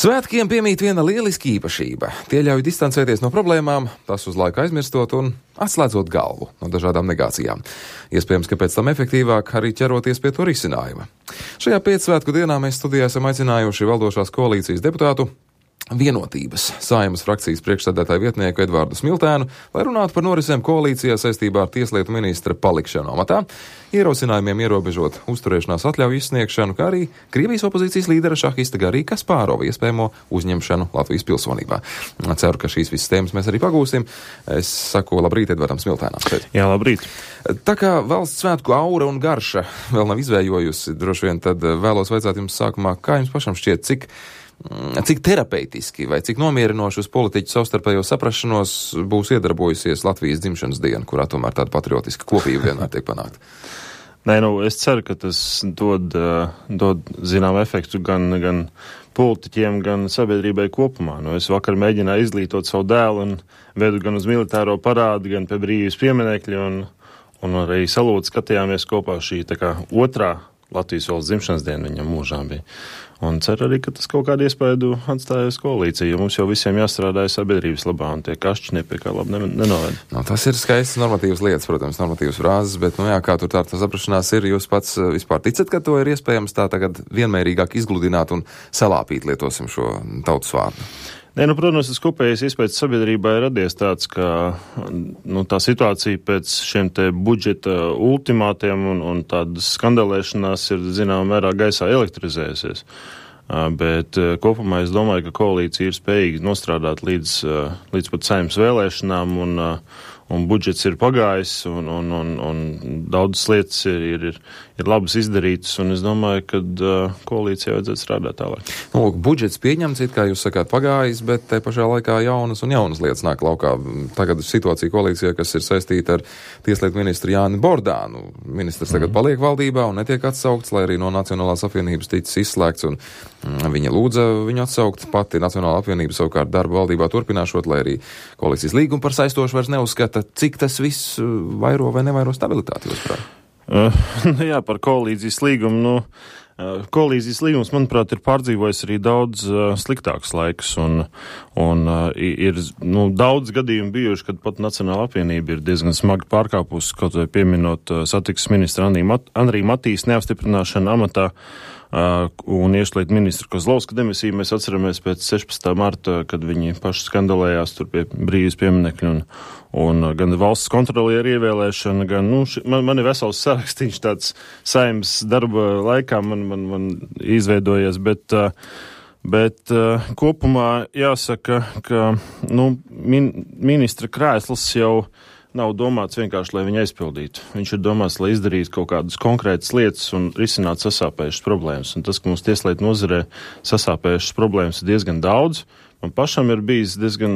Svētkiem piemīt viena lieliska īpašība. Tie ļauj distancēties no problēmām, tas uz laiku aizmirstot un atslēdzot galvu no dažādām negācijām. Iespējams, ka pēc tam efektīvāk arī ķeroties pie to risinājuma. Šajā pēcsvētku dienā mēs studijā esam aicinājuši valdošās koalīcijas deputātu Vienotības Saeimas frakcijas priekšsēdētāju vietnieku Edvardu Smiltēnu, lai runātu par norisēm koalīcijā saistībā ar tieslietu ministra palikšanu amatā, ierosinājumiem ierobežot uzturēšanās atļauju izsniegšanu, kā arī Krievijas opozīcijas līdera šahista Garija Kaspārova iespējamo uzņemšanu Latvijas pilsonībā. Ceru, ka šīs visas tēmas mēs arī pagūsim. Es saku labrīt Edvardam Smiltēnam. Jā, labrīt. Tā kā valsts svētku aura un garša vēl nav izvējojusi, droši vien tad vēlos vaicāt jums sākumā, kā jums pašam šķiet, cik terapeitiski vai cik nomierinoši uz politiķu savstarpējo saprašanos būs iedarbojusies Latvijas dzimšanas diena, kurā tomēr tāda patriotiska kopība vienmēr tiek panākta? Es ceru, ka tas dod zinām efektu gan politiķiem, gan sabiedrībai kopumā. Es vakar mēģināju izglītot savu dēlu un vedu gan uz militāro parādu, gan pie brīvības pieminekļa un arī salūtu skatījāmies kopā šī tā kā otrā Latvijas valsts dzimšanas diena viņam mūžā bija. Un ceru arī, ka tas kaut kādu iespēju atstāja uz koalīciju, jo mums jau visiem jāstrādā sabiedrības labā, un tie kašķi nepie kā labi nenoved. Tas ir skaists normatīvas lietas, protams, normatīvas frāzes, bet, kā tur tā saprašanās ir, jūs pats vispār ticat, ka to ir iespējams tā tagad vienmērīgāk izgludināt un salāpīt, lietosim šo tautas vārdu? Protams, tas kopējais iespējas sabiedrībā ir radies tāds, ka tā situācija pēc šiem te budžeta ultimātiem un tādas skandalēšanās ir, zinām, mērā gaisā elektrizējusies. Bet kopumā es domāju, ka koalīcija ir spējīga nostrādāt līdz pat Saeimas vēlēšanām un budžets ir pagājis un daudzas lietas ir labas izdarītas, un es domāju, ka koalīcijai vajadzētu strādāt tālāk. Budžets pieņemts, it kā jūs sakāt, pagājis, bet te pašā laikā jaunas lietas nāk laukā. Tagad situācija koalīcijā, kas ir saistīta ar tieslietu ministru Jāni Bordānu. Ministrs tagad paliek valdībā un netiek atsaukts, lai arī no Nacionālās apvienības ticis izslēgts, un viņa lūdza viņu atsaukt. Pati Nacionālā apvienība savukārt darbu valdībā turpināšot, lai arī koalīcijas līgumu par saistošu vairs neuzskata. Cik tas viss vairo vai nevairo stabilitāti, jūsuprāt? Par koalīcijas līgumu. Koalīzijas līgums, manuprāt, ir pārdzīvojis arī daudz sliktākus laikus, un ir daudz gadījumu bijuši, kad pat Nacionāla apvienība ir diezgan smagi pārkāpusi, kaut vai pieminot satiksmes ministra Andrija Matīs neapstiprināšanu amatā un iekšlietu ministru Kozlovska demisiju. Mēs atceramies pēc 16. marta, kad viņi paši skandalējās tur pie brīvības pieminekļa un gan valsts kontrolieru ievēlēšana, gan, man ir vesels sarakstīns tāds Saeimas darba laikā man izveidojies, bet kopumā jāsaka, ka, ministra krēsls jau nav domāts vienkārši, lai viņu aizpildītu. Viņš ir domāts, lai izdarītu kaut kādas konkrētas lietas un risinātu sasāpējušas problēmas. Un tas, ka mums tieslietu nozarē sasāpējušas problēmas ir diezgan daudz, man pašam ir bijis diezgan,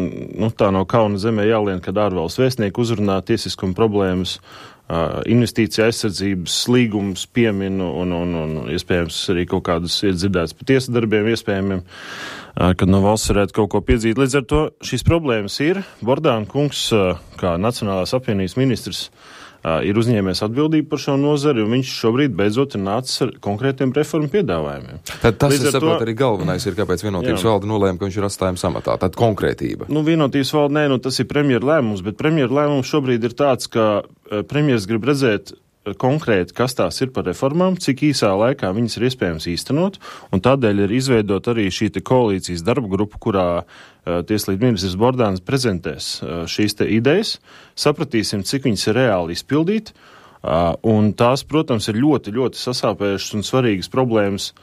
tā no kauna zemē jālien, kad ārvalsts vēstnieki uzrunā tiesiskuma problēmas, investīcija aizsardzības līgumus pieminu un iespējams arī kaut kādas ir dzirdētas par tiesas darbiem iespējamiem, kad no valsts varētu kaut ko piedzīt. Līdz ar to šīs problēmas ir. Bordāna kungs, kā Nacionālās apvienības ministrs, ir uzņēmies atbildību par šo nozari, un viņš šobrīd beidzot ir nācis ar konkrētiem reformu piedāvājumiem. Tad tas, es saprotu, arī galvenais ir, kāpēc Vienotības valde nolēma, ka viņš ir atstājums amatā. Tad konkrētība. Vienotības valde, tas ir premjera lēmums, bet premjera lēmums šobrīd ir tāds, ka premjers grib redzēt konkrēti, kas tās ir par reformām, cik īsā laikā viņas ir iespējams īstenot, un tādēļ ir izveidot arī šī te koalīcijas darba grupa, kurā tieslietu ministrs Bordāns prezentēs šīs te idejas, sapratīsim, cik viņas ir reāli izpildīt, un tās, protams, ir ļoti, ļoti sasāpējušas un svarīgas problēmas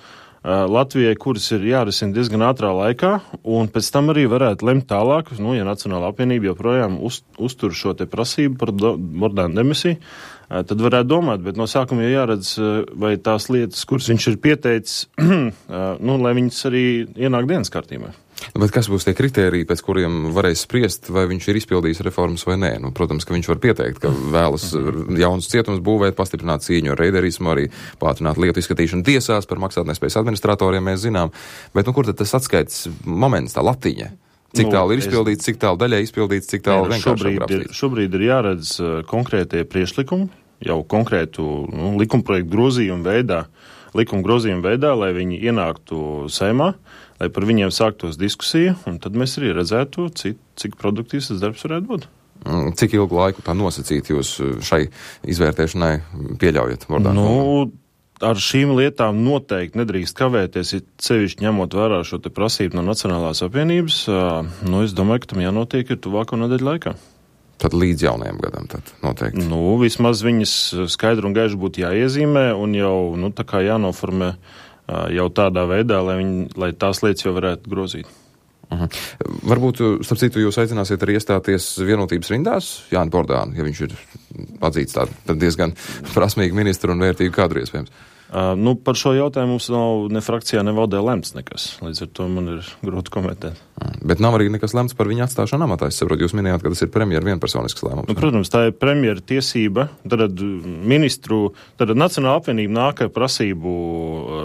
Latvijai, kuras ir jārisina diezgan ātrā laikā, un pēc tam arī varētu lemt tālāk, ja Nacionālā apvienība joprojām uztur šo te prasību par Bordāna demisiju, tad varētu domāt, bet no sākuma jāredz, vai tās lietas, kuras viņš ir pieteicis, lai viņas arī ienāk dienas kārtībā. Bet kas būs tie kritēriji, pēc kuriem varēs spriest, vai viņš ir izpildījis reformas vai nē? Protams, ka viņš var pieteikt, ka vēlas jaunus cietumus būvēt, pastiprināt cīņu ar reiderismu, arī pātrināt lietu izskatīšanu tiesās par maksātnespējas administratoriem, mēs zinām. Bet kur tad tas atskaits moments, tā latiņa? Cik tālu ir izpildīts, cik tālu daļai izpildīts, cik tālu vienkārši aprakstīts? Šobrīd ir jāredz konkrētie priekšlikumi, jau konkrētu likumprojektu grozījumu veidā, likuma grozījuma veidā, lai viņi ienāktu Saeimā, lai par viņiem sāktos diskusija, un tad mēs arī redzētu, cik produktīvs tas darbs varētu būt. Cik ilgu laiku tā nosacīt jūs šai izvērtēšanai pieļaujat? Ar šīm lietām noteikti nedrīkst kavēties, sevišķi ņemot vērā šo te prasību no Nacionālās apvienības. Es domāju, ka tam jānotiek ir tuvāko nedēļu laikā. Tad līdz jaunajam gadam tad noteikti. Vismaz viņas skaidri un gaiši būtu jāiezīmē un jau, tā kā jānoformē jau tādā veidā, lai tās lietas jau varētu grozīt. Varbūt, starp citu, jūs aicināsiet arī iestāties vienotības rindās Jāni Bordānu, ja viņš ir atzīts tādu diezgan prasmīgu ministru un vērtīgu kadru iespējams. Par šo jautājumu mums nav ne frakcijā, ne valdē lemts nekas. Līdz ar to man ir grūti komentēt. Bet nav arī nekas lemts par viņa atstāšanu amatā. Es saprotu, jūs minējāt, ka tas ir premjera vienpersonisks lēmums. Protams, tā ir premjera tiesība. Tad Nacionāla apvienība nāk ar prasību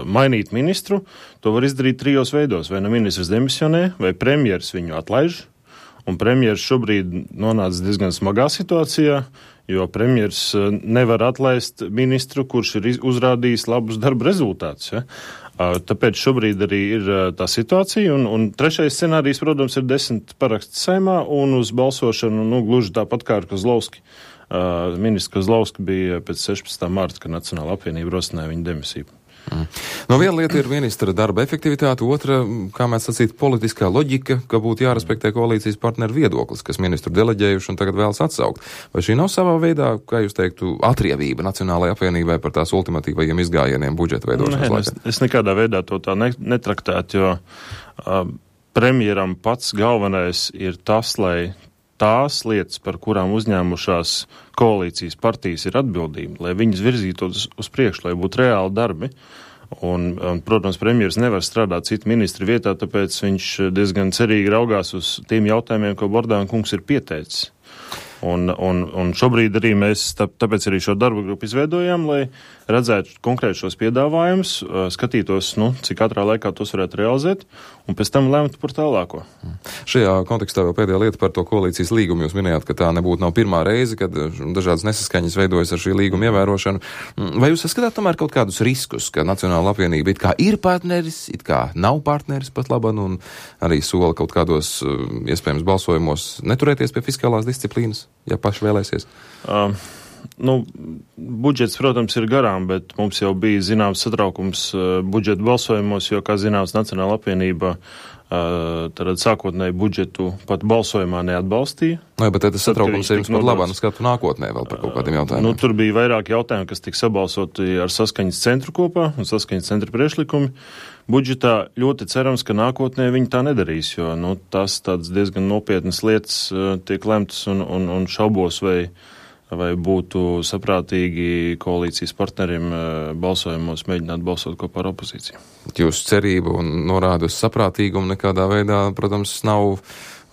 mainīt ministru. To var izdarīt 3 veidos. Vai ministrs demisionē, vai premjeras viņu atlaiž. Un premjeras šobrīd nonāca diezgan smagā situācijā, jo premjers nevar atlaist ministru, kurš ir uzrādījis labus darba rezultātus. Ja? Tāpēc šobrīd arī ir tā situācija, un trešais scenārijs, protams, ir 10 paraksti Saeimā, un uz balsošanu, gluži tāpat kā ar Kozlovski. Ministrs Kozlovski bija pēc 16. marta, kad Nacionāla apvienība rosināja viņa demisiju. Viena lieta ir ministra darba efektivitāte, otra, kā mēs sacīt, politiskā loģika, ka būtu jārespektē koalīcijas partneru viedoklis, kas ministru deleģējuši un tagad vēlas atsaukt. Vai šī nav savā veidā, kā jūs teiktu, atriebība Nacionālajai apvienībai par tās ultimatīvajiem izgājieniem budžeta veidošanas laikā? Es nekādā veidā to tā netraktētu, jo premjeram pats galvenais ir tas, lai tās lietas, par kurām uzņēmušās koalīcijas partijas ir atbildība, lai viņas virzītos uz priekšu, lai būtu reāli darbi. Un, protams, premjeras nevar strādāt citu ministru vietā, tāpēc viņš diezgan cerīgi raugās uz tiem jautājumiem, ko Bordāna kungs ir pieteicis. Un šobrīd arī mēs tāpēc arī šo darbu grupu izveidojām, lai redzētu konkrēti šos piedāvājumus, skatītos, cik ātrā laikā tos varētu realizēt, un pēc tam lēmtu par tālāko. Šajā kontekstā vēl pēdējā lieta par to koalīcijas līgumu. Jūs minējāt, ka tā nebūtu pirmā reize, kad dažādas nesaskaņas veidojas ar šī līguma ievērošanu. Vai jūs saskatāt tomēr kaut kādus riskus, ka Nacionāla apvienība it kā ir partneris, it kā nav partneris pat laban, un arī sola kaut kādos iespējams balsojumos neturēties pie fiskālās disciplīnas, ja paši vēlēsies? Budžets, protams, ir garām, bet mums jau bija zināms satraukums budžeta balsojumos, jo, kā zināms, Nacionāla apvienība tad sākotnēji budžetu pat balsojumā neatbalstīja. Bet tas satraukums ir jums pat labā skatu nākotnē vēl par kaut kādiem jautājumiem. Tur bija vairāk jautājumu, kas tika sabalsoti ar saskaņas centru kopā un saskaņas centra priekšlikumi. Budžetā ļoti cerams, ka nākotnē viņi tā nedarīs, jo tas tāds diezgan nopietnas lietas tiek lemtas un šaubos, vai būtu saprātīgi koalīcijas partneriem balsojumos mēģināt balsot kopā ar opozīciju. Jūsu cerība un norāda uz saprātīgumu nekādā veidā, protams, nav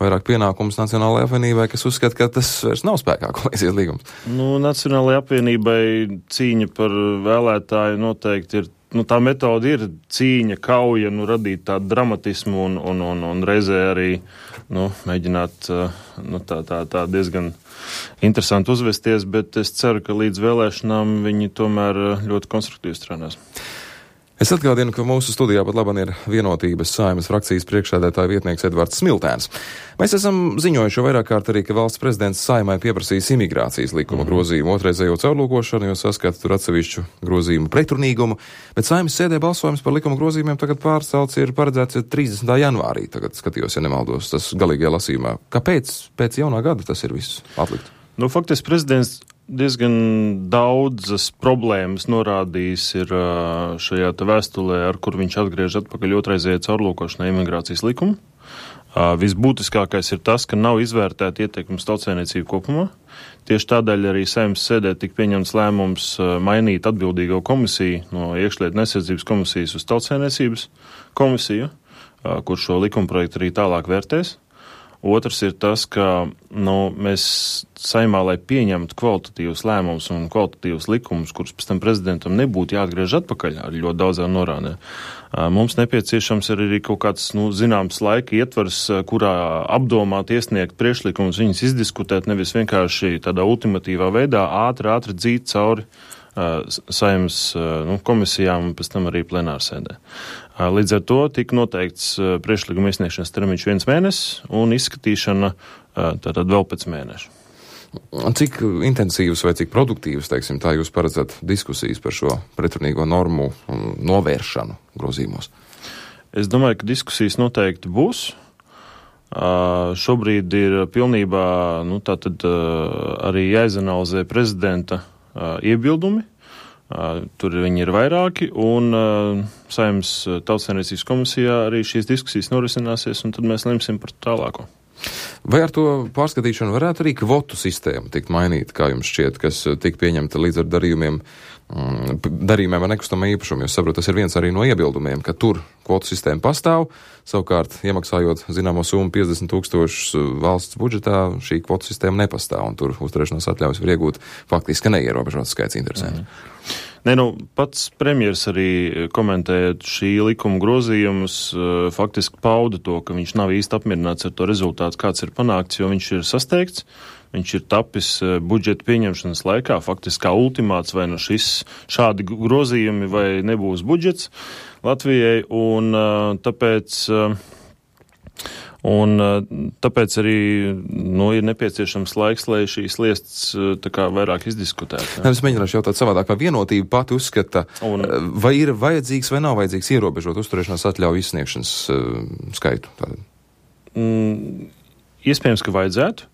vairāk pienākums Nacionālajai apvienībai, kas uzskata, ka tas vairs nav spēkā koalīcijas līgums. Nacionālajai apvienībai cīņa par vēlētāju noteikti ir. Tā metode ir cīņa, kauja, radīt tādu dramatismu un reizē arī mēģināt tā diezgan interesanti uzvesties, bet es ceru, ka līdz vēlēšanām viņi tomēr ļoti konstruktīvi strādās. Es atgādinu, ka mūsu studijā pat labam ir Vienotības Saeimas frakcijas priekšsēdētāja vietnieks Edvards Smiltēns. Mēs esam ziņojuši vairāk kārt arī, ka valsts prezidents Saeimai pieprasīs imigrācijas likuma grozījumu otrreizējo caurlūkošanu, jo saskata tur atsevišķu grozījumu pretrunīgumu, bet Saeimas sēdē balsojums par likuma grozījumiem tagad pārcelts ir paredzēts 30. janvārī. Tagad skatījos, ja nemaldos, tas galīgajā lasījumā. Kāpēc pēc jaunā gada tas ir viss atlikt? Faktiski prezidents diezgan daudzas problēmas norādījis ir šajā vēstulē, ar kur viņš atgriež atpakaļ otrreizējai caurlūkošanai imigrācijas likumu. Visbūtiskākais ir tas, ka nav izvērtēta ietekmes tautsēmniecību kopumā. Tieši tādēļ arī Saeimas sēdē tika pieņemts lēmums mainīt atbildīgo komisiju no iekšlietu un aizsardzības komisijas uz tautsēmniecības komisiju, kur šo likumprojektu arī tālāk vērtēs. Otrs ir tas, ka mēs Saeimā, lai pieņemtu kvalitatīvus lēmumus un kvalitatīvus likumus, kurus pēc tam prezidentam nebūtu jāatgriež atpakaļ ar ļoti daudzām norādēm, mums nepieciešams arī kaut kāds zināms laika ietvers, kurā apdomāt, iesniegt priekšlikumus, viņus izdiskutēt, nevis vienkārši tādā ultimatīvā veidā ātri dzīt cauri Saeimas komisijām un pēc tam arī plenārsēdē. Līdz ar to tika noteikts priekšlikuma iesniegšanas termiņš 1 mēnesis un izskatīšana tātad vēl pēc mēneša. Cik intensīvas vai cik produktīvas, teiksim, tā jūs paredzat diskusijas par šo pretrunīgo normu novēršanu grozījumos? Es domāju, ka diskusijas noteikti būs. Šobrīd ir pilnībā tātad arī jāizanalizē prezidenta iebildumi. Tur viņi ir vairāki, un Saeimas Tautsaimniecības komisijā arī šīs diskusijas norisināsies, un tad mēs lemsim par tālāko. Vai ar to pārskatīšanu varētu arī kvotu sistēmu tikt mainīt, kā jums šķiet, kas tika pieņemta līdz ar darījumiem ar nekustamā īpašumu? Jūs saprotat, tas ir viens arī no iebildumiem, ka tur kvotu sistēma pastāv, savukārt iemaksājot zināmo summu 50 000 valsts budžetā, šī kvotu sistēma nepastāv, un tur uzturēšanās atļaujas var iegūt faktiski neierobežots skaits interesanti. Pats premjers arī komentējot šī likuma grozījumus, faktiski pauda to, ka viņš nav īsti apmierināts ar to rezultātu, kāds ir panākts, jo viņš ir sasteigts, viņš ir tapis budžeta pieņemšanas laikā, faktiski kā ultimāts, vai šādi grozījumi vai nebūs budžets Latvijai, un tāpēc arī ir nepieciešams laiks, lai šīs lietas vairāk izdiskutētu. Es mēģināšu jautāt savādāk, vai vienotība pati uzskata, vai ir vajadzīgs vai nav vajadzīgs ierobežot uzturēšanās atļauju izsniegšanas skaitu? Iespējams, ka vajadzētu.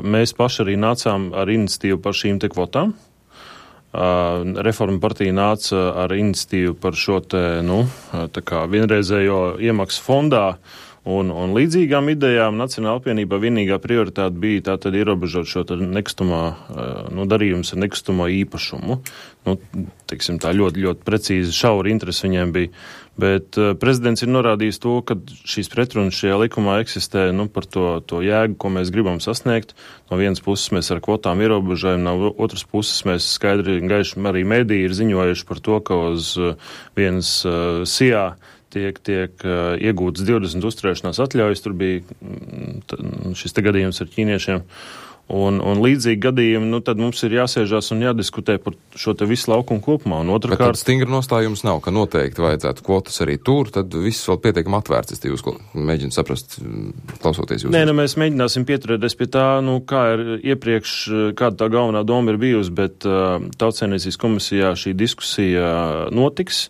Mēs paši arī nācām ar iniciatīvu par šīm te kvotām. Reforma partija nāca ar iniciatīvu par šo vienreizējo iemaksu fondā un līdzīgām idejām. Nacionāla apvienībā vienīgā prioritāte bija tātad ierobežot šo darījumus ar nekustamo īpašumu. Teiksim tā ļoti, ļoti precīzi šauri interesi viņiem bija. Bet prezidents ir norādījis to, ka šīs pretrunas šajā likumā eksistē par to jēgu, ko mēs gribam sasniegt. No vienas puses mēs ar kvotām ierobežojam, no otras puses mēs skaidri un gaiši arī mediji ir ziņojuši par to, ka uz vienas SIA tiek iegūtas 20 uzturēšanās atļaujas. Tur bija šis te gadījums ar ķīniešiem. Un līdzīgi gadījumi, tad mums ir jāsēžās un jādiskutē par šo te visu laukumu kopumā. Un otrkārt, stingra nostājums nav, ka noteikti vajadzētu kvotas arī tur, tad viss vēl pietiekami atvērts. Es jūs mēģinu saprast, klausoties jūs. Mēs mēģināsim pieturēties pie tā, kā ir iepriekš, kāda tā galvenā doma ir bijusi, bet Tautsaimniecības komisijā šī diskusija notiks.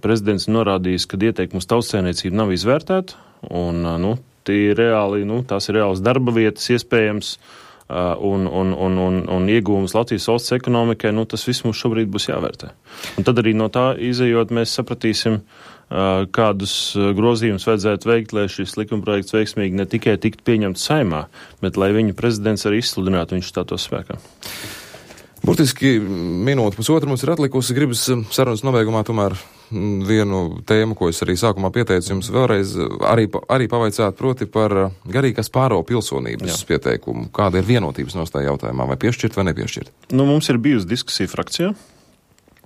Prezidents norādījis, ka ieteikums tautsaimniecība nav izvērtēta, un tās ir reāls darba vietas iespējams, un iegūmus Latvijas valsts ekonomikai, tas viss mums šobrīd būs jāvērtē. Un tad arī no tā izejot mēs sapratīsim, kādus grozījumus vajadzētu veikt, lai šis likumprojekts veiksmīgi ne tikai tiktu pieņemts Saeimā, bet lai viņu prezidents arī izsludinātu, viņš stātos spēkā. Burtiski minūte pusotru mums ir atlikusi. Gribas sarunas nobeigumā tomēr vienu tēmu, ko es arī sākumā pieteicu jums vēlreiz, arī pavaicāt, proti par Garīgas Pāro pilsonības pieteikumu. Kāda ir vienotības nostāja jautājumā, vai piešķirt vai nepiešķirt? Mums ir bijusi diskusija frakcijā.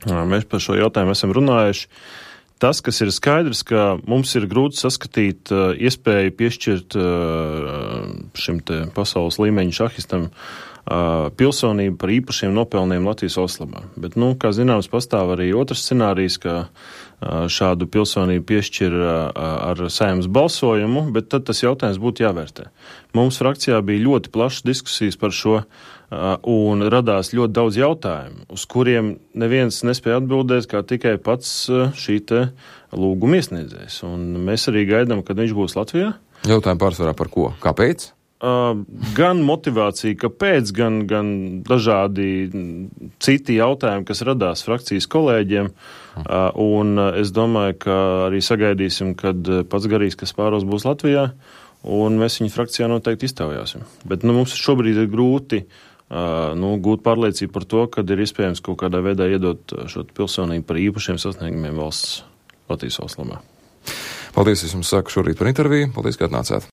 Mēs par šo jautājumu esam runājuši. Tas, kas ir skaidrs, ka mums ir grūti saskatīt iespēju piešķirt šim te pasaules līmeņa šahistam pilsonību par īpašiem nopelniem Latvijas valsts labā. Bet, kā zināms, pastāv arī otrs scenārijs, ka šādu pilsonību piešķir ar Saeimas balsojumu, bet tad tas jautājums būtu jāvērtē. Mums frakcijā bija ļoti plašas diskusijas par šo, un radās ļoti daudz jautājumu, uz kuriem neviens nespēja atbildēt, kā tikai pats šī te lūguma iesniedzējs. Un mēs arī gaidām, kad viņš būs Latvijā. Jautājumi pārsvarā par ko? Kāpēc? Gan motivācija, kāpēc, gan dažādi citi jautājumi, kas radās frakcijas kolēģiem, un es domāju, ka arī sagaidīsim, kad pats Garīgas Pāros būs Latvijā, un mēs viņu frakcijā noteikti iztaujāsim. Bet mums šobrīd ir grūti gūt pārliecību par to, kad ir iespējams kaut kādā veidā iedot šo pilsonību par īpašiem sasniegumiem Latvijas valsts labā. Paldies, es jums saku šorīt par interviju. Paldies, ka atnācāt.